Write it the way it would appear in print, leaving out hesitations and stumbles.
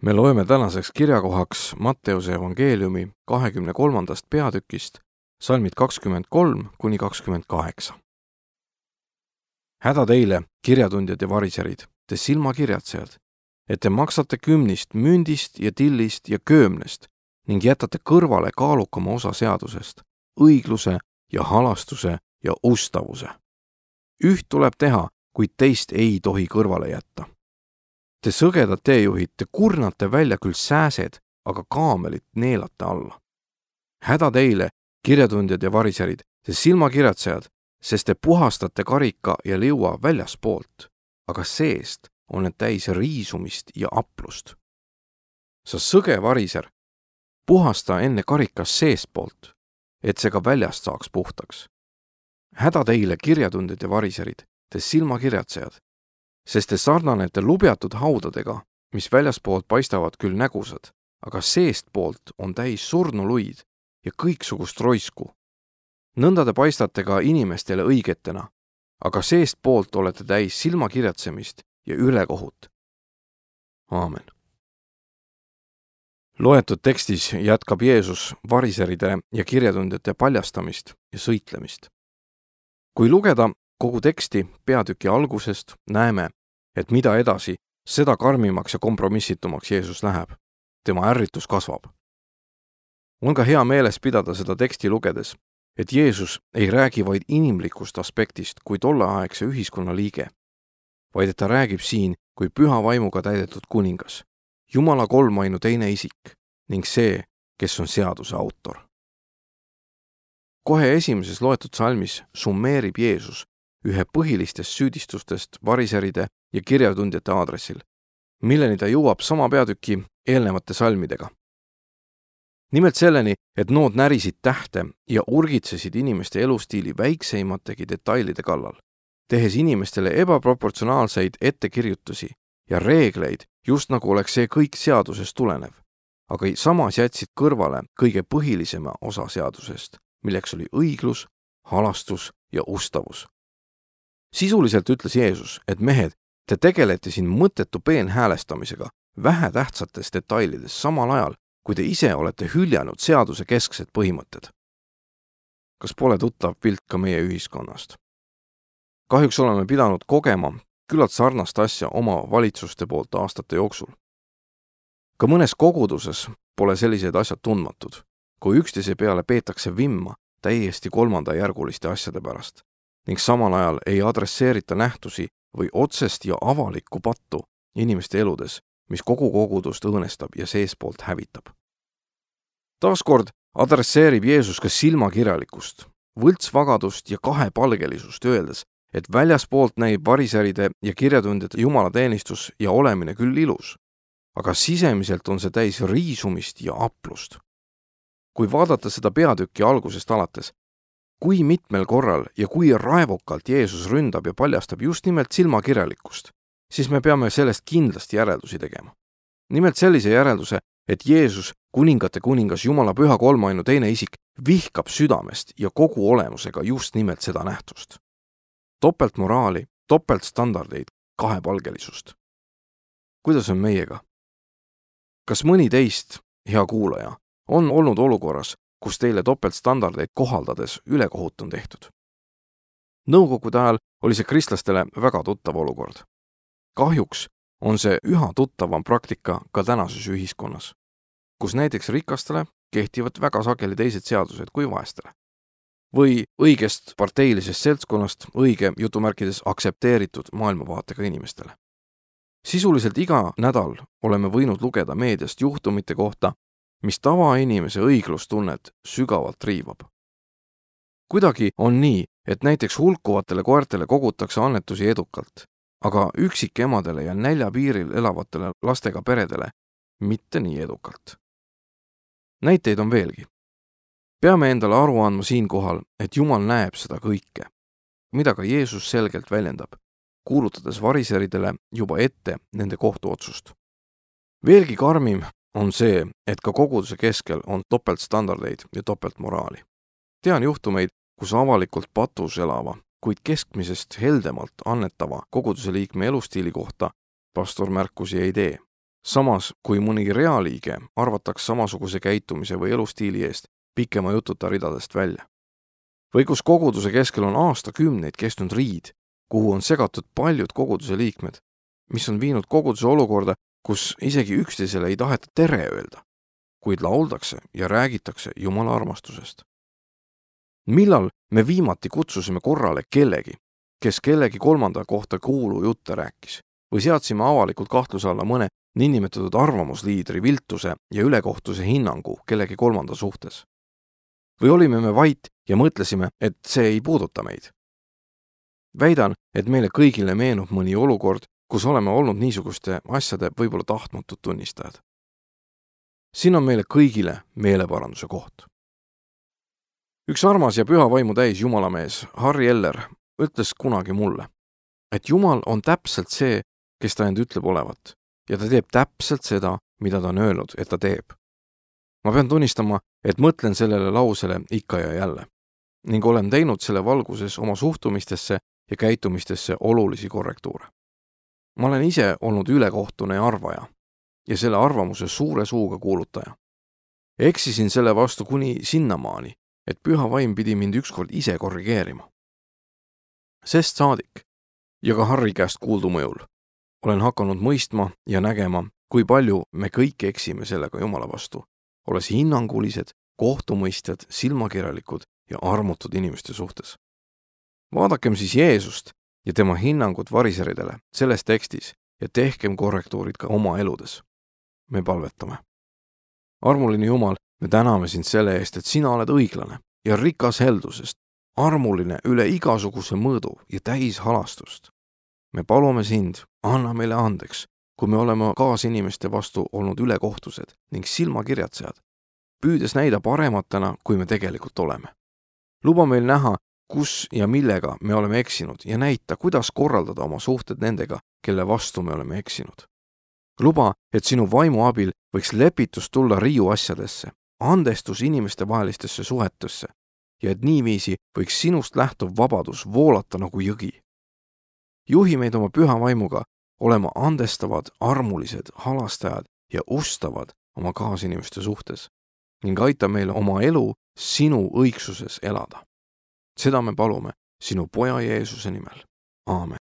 Me loeme tänaseks kirjakohaks Matteuse evangeeliumi 23. peatükist, salmid 23–28. Häda teile, kirjatundjad ja variserid, te silmakirjatsejad, et te maksate kümnist, mündist ja tillist ja köömnest ning jätate kõrvale kaalukama osa seadusest, õigluse ja halastuse ja ustavuse. Üht tuleb teha, kuid teist ei tohi kõrvale jätta. Te sõgedad teejuhid, te kurnate välja küll sääsed, aga kaamelit neelate alla. Häda teile, kirjatundjad ja variserid, te silmakirjatsejad, sest te puhastate karika ja liua väljaspoolt, aga seest on need täis riisumist ja aplust. Sa sõge variser, puhasta enne karikas seestpoolt, et see ka väljast saaks puhtaks. Häda teile, kirjatundjad ja variserid, te silmakirjatsejad, sest te sarnanete lubjatud haudadega, mis väljaspoolt paistavad küll nägusad, aga seestpoolt on täis surnuluid ja kõiksugust roisku. Nõnda te paistate ka inimestele õigetena, aga seestpoolt olete täis silmakirjatsemist ja ülekohut. Aamen. Loetud tekstis jätkab Jeesus variseride ja kirjatundjate paljastamist ja sõitlemist. Kui lugeda kogu teksti peatüki algusest, näeme, et mida edasi, seda karmimaks ja kompromissitumaks Jeesus läheb. Tema ärritus kasvab. On ka hea meeles pidada seda teksti lugedes, et Jeesus ei räägi vaid inimlikust aspektist kui tolleaegse ühiskonna liige, vaid et ta räägib siin kui püha vaimuga täidetud kuningas, Jumala kolmainu teine isik ning see, kes on seaduse autor. Kohe esimeses loetud salmis summeerib Jeesus ühe põhilistest süüdistustest variseride ja kirjatundjate aadressil, milleni ta jõuab sama peatüki eelnevate salmidega. Nimelt selleni, et nood närisid tähte ja urgitsesid inimeste elustiili väikseimategi detailide kallal, tehes inimestele ebaproportsionaalseid ettekirjutusi ja reegleid, just nagu oleks see kõik seadusest tulenev, aga samas jätsid kõrvale kõige põhilisema osa seadusest, milleks oli õiglus, halastus ja ustavus. Sisuliselt ütles Jeesus, et mehed, te tegelete siin mõttetu peenhäälestamisega vähetähtsates detailides samal ajal, kui te ise olete hüljanud seaduse kesksed põhimõtted. Kas pole tuttav pilt ka meie ühiskonnast? Kahjuks oleme pidanud kogema küllalt sarnast asja oma valitsuste poolt aastate jooksul. Ka mõnes koguduses pole sellised asjad tundmatud, kui üksteise peale peetakse vimma täiesti kolmandajärguliste asjade pärast ning samal ajal ei adresseerita nähtusi või otsest ja avalikku pattu inimeste eludes, mis kogu kogudust õõnestab ja seespoolt hävitab. Taaskord adresseerib Jeesus ka silmakirjalikkust, võltsvagadust ja kahepalgelisust, öeldes, et väljaspoolt näib variseride ja kirjatundjate jumalateenistus ja olemine küll ilus, aga sisemiselt on see täis riisumist ja aplust. Kui vaadata seda peatükki algusest alates, kui mitmel korral ja kui raevukalt Jeesus ründab ja paljastab just nimelt silmakirjalikkust, siis me peame sellest kindlasti järeldusi tegema. Nimelt sellise järelduse, et Jeesus, kuningate kuningas, Jumala püha kolmainu teine isik, vihkab südamest ja kogu olemusega just nimelt seda nähtust. Topeltmoraali, topeltstandardeid, kahepalgelisust. Kuidas on meiega? Kas mõni teist, hea kuulaja, on olnud olukorras, kus teile topeltstandardeid kohaldades ülekohut on tehtud? Nõukogude ajal oli see kristlastele väga tuttav olukord. Kahjuks on see üha tuttavam praktika ka tänases ühiskonnas, kus näiteks rikastele kehtivad väga sageli teised seadused kui vaestele. Või õigest parteilisest seltskonnast õige jutumärkides aksepteeritud maailmavaatega inimestele. Sisuliselt iga nädal oleme võinud lugeda meediast juhtumite kohta, mis tavainimese õiglustunnet sügavalt riivab. Kuidagi on nii, et näiteks hulkuvatele koertele kogutakse annetusi edukalt, aga üksikemadele ja näljapiiril elavatele lastega peredele mitte nii edukalt. Näiteid on veelgi. Peame endale aru andma siinkohal, et Jumal näeb seda kõike, mida ka Jeesus selgelt väljendab, kuulutades variseridele juba ette nende kohtuotsust. Veelgi karmim on see, et ka koguduse keskel on topeltstandardeid ja topeltmoraali. Tean juhtumeid, kus avalikult patus elava, kuid keskmisest heldemalt annetava koguduse liikme elustiili kohta pastor märkusi ei tee Samas, kui mõni realiige arvataks samasuguse käitumise või elustiili eest pikema jututa ridadest välja. Või kus koguduse keskel on aastakümneid kestnud riid, kuhu on segatud paljud koguduse liikmed, mis on viinud koguduse olukorda, kus isegi üksteisele ei taheta tere öelda, kuid lauldakse ja räägitakse Jumala armastusest. Millal me viimati kutsusime korrale kellegi, kes kellegi kolmanda kohta kuulujutte rääkis, või seadsime avalikult kahtluse alla mõne niinimetatud arvamusliidri viltuse ja ülekohtuse hinnangu kellegi kolmanda suhtes? Või olime me vait ja mõtlesime, et see ei puuduta meid? Väidan, et meile kõigile meenub mõni olukord, kus oleme olnud niisuguste asjade võib-olla tahtmatud tunnistajad. Siin on meile kõigile meeleparanduse koht. Üks armas ja püha vaimu täis jumalamees Harry Eller ütles kunagi mulle, et Jumal on täpselt see, kes ta end ütleb olevat, ja ta teeb täpselt seda, mida ta on öelnud, et ta teeb. Ma pean tunnistama, et mõtlen sellele lausele ikka ja jälle ning olen teinud selle valguses oma suhtumistesse ja käitumistesse olulisi korrektuure. Ma olen ise olnud ülekohtune arvaja ja selle arvamuse suure suuga kuulutaja. Eksisin selle vastu kuni sinnamaani, et püha vaim pidi mind ükskord ise korrigeerima. Sest saadik ja ka Harri käest kuuldu mõjul olen hakanud mõistma ja nägema, kui palju me kõik eksime sellega Jumala vastu, olles hinnangulised, kohtumõistjad, silmakirjalikud ja armutud inimeste suhtes. Vaadakem siis Jeesust ja tema hinnangut variseridele selles tekstis ja tehkem korrektuurid ka oma eludes. Me palvetame. Armuline Jumal, me täname sind selle eest, et sina oled õiglane ja rikas heldusest, armuline üle igasuguse mõõdu ja täis halastust. Me palume sind, anna meile andeks, kui me oleme kaasinimeste vastu olnud ülekohtused ning silmakirjatsejad, püüdes näida parematena, kui me tegelikult oleme. Luba meil näha, kus ja millega me oleme eksinud ja näita, kuidas korraldada oma suhted nendega, kelle vastu me oleme eksinud. Luba, et sinu vaimu abil võiks lepitus tulla riiu asjadesse, andestus inimeste vahelistesse suhetesse ja et niiviisi võiks sinust lähtuv vabadus voolata nagu jõgi. Juhi meid oma püha vaimuga olema andestavad, armulised, halastajad ja ustavad oma kaasinimeste suhtes ning aita meile oma elu sinu õigsuses elada. Seda me palume sinu poja Jeesuse nimel. Aamen.